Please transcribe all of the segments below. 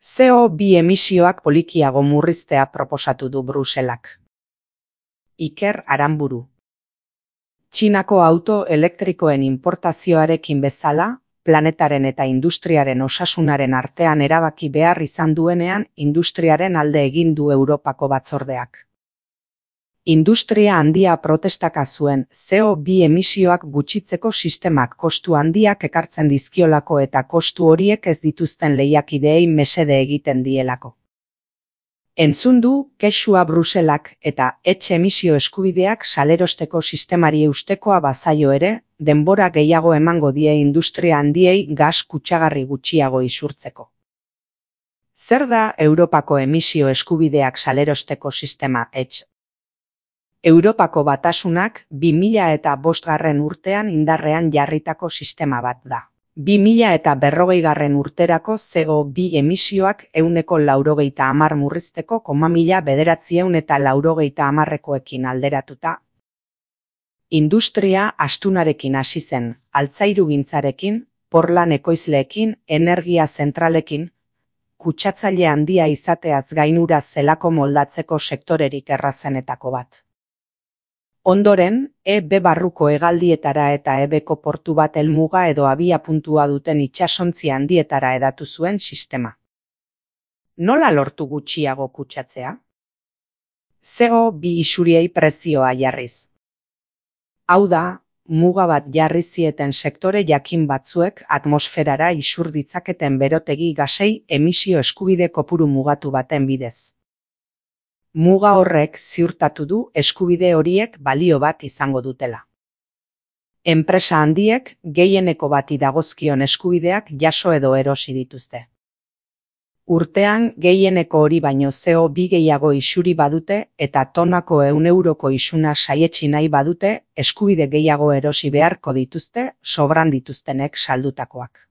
CO2 emisioak polikiago murriztea proposatu du Bruselak. Iker Aranburu. Txinako auto elektrikoen inportazioarekin bezala, planetaren eta industriaren osasunaren artean erabaki behar izan duenean industriaren alde egin du Europako batzordeak. Industria handia protestaka zuen CO2 emisioak gutxitzeko sistemak kostu handiak ekartzen dizkiolako eta kostu horiek ez dituzten lehiakideei mesede egiten dielako. Entzun du kexua Bruselak eta etxe emisio eskubideak salerosteko sistemari eustekoa bazaio ere, denbora gehiago emango die industria handiei gas kutsagarri gutxiago isurtzeko. Zer da Europako emisio eskubideak salerosteko sistema etxe? Europako Batasunak 2005 urtean indarrean jarritako sistema bat da. 2040 urterako CO2 emisioak 190 murrizteko 1990 alderatuta. Industria astunarekin hasi zen, altzairugintzarekin, porlan ekoizleekin, energia zentralekin, kutsatzaile handia izateaz gainura zelako moldatzeko sektorerik errazenetako bat. Ondoren, EB barruko hegaldietara eta EBko portu bat helmuga edo abiapuntua duten itsasontzi handietara hedatu zuen sistema. Nola lortu gutxiago kutsatzea? CO2 isuriei prezioa jarriz. Hau da, muga bat jarri zieten sektore jakin batzuek atmosferara isur ditzaketen berotegi gasei emisio eskubide kopuru mugatu baten bidez. Muga horrek ziurtatu du eskubide horiek balio bat izango dutela. Enpresa handiek gehieneko bati dagozkion eskubideak jaso edo erosi dituzte. Urtean gehieneko hori baino CO2 gehiago isuri badute eta tonako 100 euroko isuna saietsi nahi badute eskubide gehiago erosi beharko dituzte sobran dituztenek saldutakoak.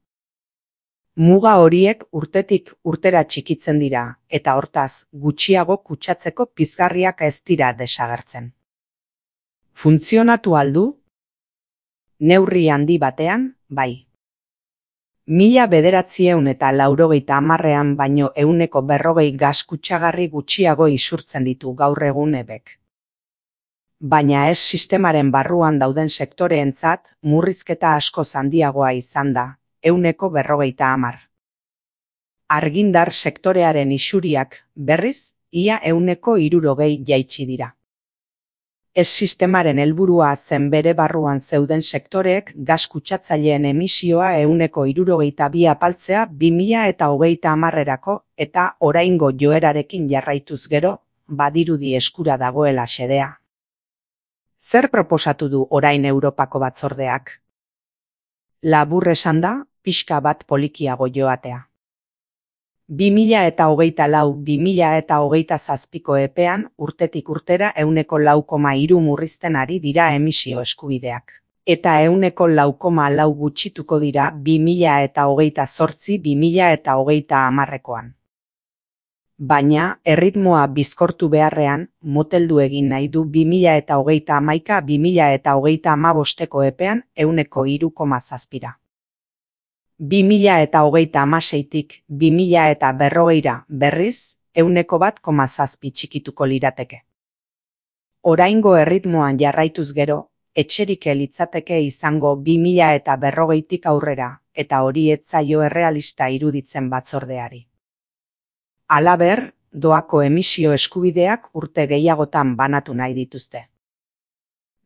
Muga horiek urtetik urtera txikitzen dira, eta hortaz, gutxiago kutsatzeko pizgarriak ez dira desagertzen. Funtzionatu aldu? Neurri handi batean, bai. 1990ean baino 140 gas kutsagarri gutxiago isurtzen ditu gaur egun EBek. Baina ez sistemaren barruan dauden sektoreentzat, murrizketa askoz handiagoa izan da. 150. Argindar sektorearen isuriak, berriz, ia 160 jaitsi dira. Ez sistemaren helburua zen bere barruan zeuden sektoreek gas kutsatzaileen emisioa 162 apaltzea 2030erako eta oraingo joerarekin jarraituz gero, badirudi eskura dagoela xedea. Zer proposatu du orain Europako batzordeak? Labur esanda, pixka bat polikiago joatea. 2024-2027ko epean urtetik urtera 4,3 murrizten ari dira emisio eskubideak. Eta 4,4 gutxituko dira 2028-2030koan. Baina, erritmoa bizkortu beharrean, moteldu egin nahi du 2031-2035ko epean 3,7. 2026tik 2040 berriz 1,7 txikituko lirateke. Oraingo erritmoan jarraituz gero, etxerik litzateke izango 2040tik aurrera, eta hori ez zaio errealista iruditzen batzordeari. Halaber, doako emisio eskubideak urte gehiagotan banatu nahi dituzte.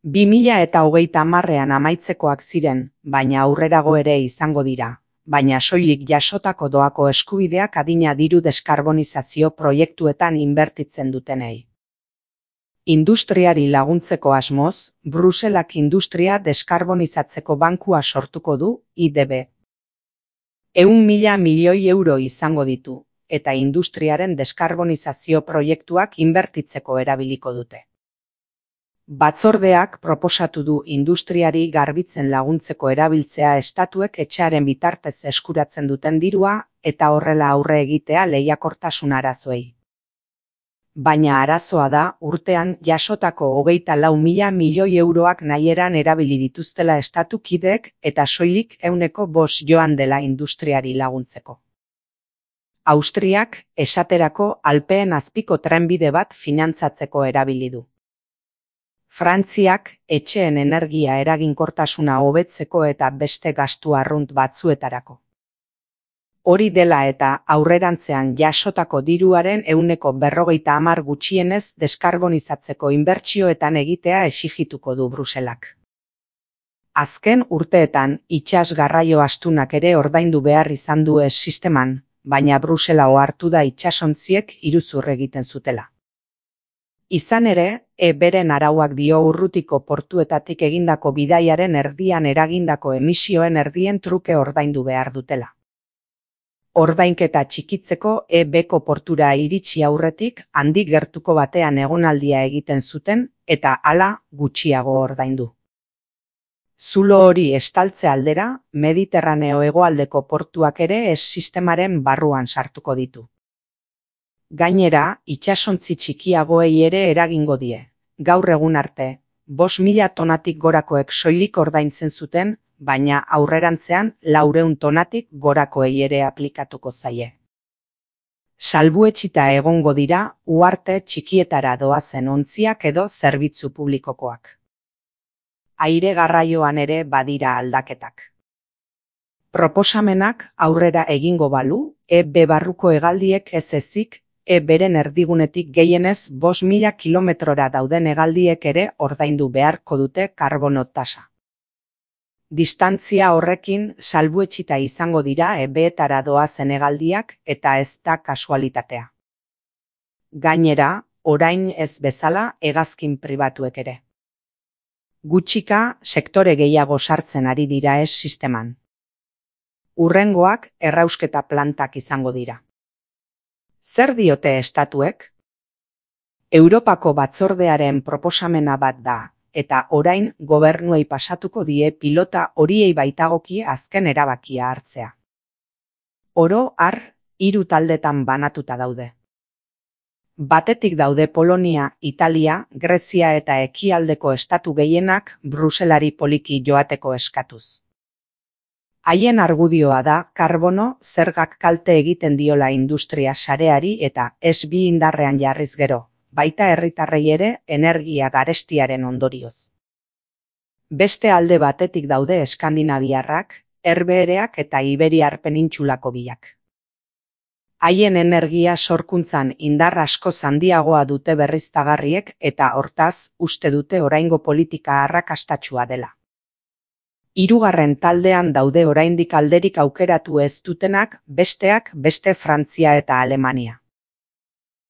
2030ean amaitzekoak ziren, baina aurrerago ere izango dira, baina soilik jasotako doako eskubideak adina diru deskarbonizazio proiektuetan inbertitzen dutenei. Industriari laguntzeko asmoz, Bruselak industria deskarbonizatzeko bankua sortuko du, IDB. 100.000 milioi euro izango ditu, eta industriaren deskarbonizazio proiektuak inbertitzeko erabiliko dute. Batzordeak proposatu du industriari garbitzen laguntzeko erabiltzea estatuek etxearen bitartez eskuratzen duten dirua eta horrela aurre egitea lehiakortasun arazoei. Baina arazoa da urtean jasotako 24.000 milioi euroak nahieran erabili dituztela estatu kideek eta soilik 105 joan dela industriari laguntzeko. Austriak, esaterako, Alpeen azpiko trenbide bat finantzatzeko erabili du. Frantziak, etxeen energia eraginkortasuna hobetzeko eta beste gastu arrunt batzuetarako. Hori dela eta aurrerantzean jasotako diruaren 40% gutxienez deskarbonizatzeko inbertsioetan egitea exigituko du Bruselak. Azken urteetan itsas garraio astunak ere ordaindu behar izan du sisteman, baina Brusela ohartu da itsasontziek iruzur egiten zutela. Izan ere, beren arauak dio urrutiko portuetatik egindako bidaiaren erdian eragindako emisioen erdien truke ordaindu behar dutela. Ordainketa txikitzeko beko portura iritsi aurretik handik gertuko batean egonaldia egiten zuten eta hala gutxiago ordaindu. Zulo hori estaltze aldera, Mediterraneo hegoaldeko portuak ere sistemaren barruan sartuko ditu. Gainera, itsasontzi txikiagoei ere eragingo die. Gaur egun arte, 5.000 tonatik gorakoek soilik ordaintzen zuten, baina aurrerantzean 400 tonatik gorakoei ere aplikatuko zaie. Salbuetsita egongo dira uharte txikietara doazen ontziak edo zerbitzu publikokoak. Aire garraioan ere badira aldaketak. Proposamenak aurrera egingo balu, barruko hegaldiek ez ezik, beren erdigunetik gehienez 5.000 kilometrora dauden hegaldiek ere ordaindu beharko dute karbono tasa. Distantzia horrekin salbuetsita izango dira beetara doazen hegaldiak eta ez da kasualitatea. Gainera, orain ez bezala hegazkin pribatuek ere. Gutxika sektore gehiago sartzen ari dira sisteman. Hurrengoak errausketa plantak izango dira. Zer diote estatuek? Europako batzordearen proposamena bat da, eta orain gobernuei pasatuko die pilota horiei baitagokie azken erabakia hartzea. Oro har, 3 taldetan banatuta daude. Batetik daude Polonia, Italia, Grezia eta ekialdeko estatu gehienak Bruselari poliki joateko eskatuz. Haien argudioa da karbono zergak kalte egiten diola industria sareari eta bi indarrean jarriz gero, baita herritarrei ere energia garestiaren ondorioz. Beste alde batetik daude eskandinaviarrak, herbehereak eta Iberiar penintsulako biak. Haien energia sorkuntzan indar askoz handiagoa dute berriztagarriek eta hortaz uste dute oraingo politika arrakastatsua dela. 3. taldean daude oraindik alderik aukeratu ez dutenak, besteak beste Frantzia eta Alemania.